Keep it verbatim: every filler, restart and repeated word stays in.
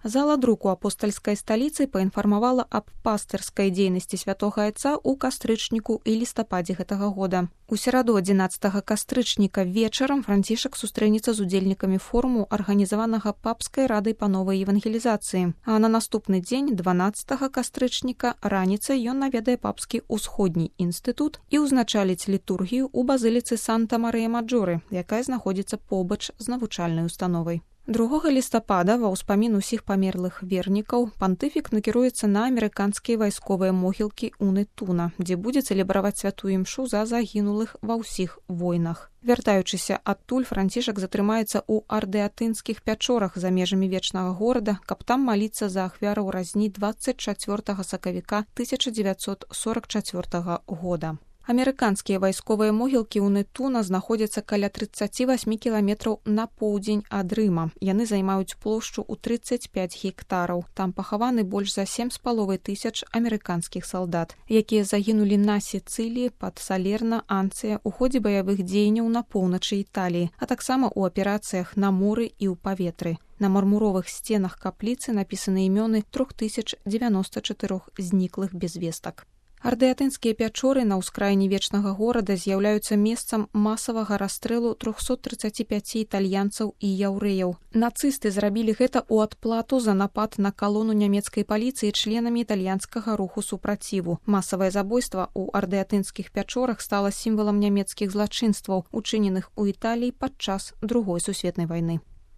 Зала друку апостальскай сталіцы паінфармавала аб пастырскай дзейнасці святога айца ў кастрычніку і лістападзе гэтага года. У сераду адзінаццатага кастрычніка вечарам Францішак сустрэнецца з удзельнікамі форуму, арганізаванага папскай радай па новай евангелізацыі. А на наступны дзень, дванаццатага кастрычніка, раніцай ён наведае папскі ўсходні інстытут і ўзначаліць літургію ў базыліцы Санта-Марыя-Маджоры, якая знаходзіцца побач з навучальнай установай. другога лістапада ва ўспамін усіх памерлых вернікаў пантыфік накіруецца на амерыканскія вайсковыя могілкі ў Нетуна, дзе будзе цэлебраваць святую імшу за загінулых ва ўсіх войнах. Вяртаючыся адтуль, Францішак затрымаецца ў ардыатынскіх пячорах за межамі вечнага горада, каб там маліцца за ахвяраў разні дваццаць чацвёртага сакавіка тысяча дзевяцьсот сорак чацвёртага года. Амерыканскія вайсковыя могілкі ў Нетуна знаходзяцца каля трыццаць восемь кіламетраў на поўдзень ад Рыма. Яны займаюць плошчу ў трыццаць пяць гектараў. Там пахаваны больш за сем з паловай тысяч амерыканскіх салдат, якія загінулі на Сіцыліі, пад Салерна, Анцыя ў ходзе баявых дзеянняў на поўначы Італіі, а таксама ў аперацыях на моры і ў паветры. На мармуровых сценах капліцы напісаны імёны тры тысячы дзевяноста чатырох зніклых без вестак. Ардыатынскія пячоры на ўскраіне вечнага горада з'яўляюцца месцам масавага расстрэлу трохсот трыццаці пяці італьянцаў і яўрэяў. Нацысты зрабілі гэта ў адплату за напад на калону нямецкай паліцыі членамі італьянскага руху супраціву. Масавае забойства ў ардыатынскіх пячорах стала сімвалам нямецкіх злачынстваў, учыненых у Італіі падчас Другой сусветнай вайны.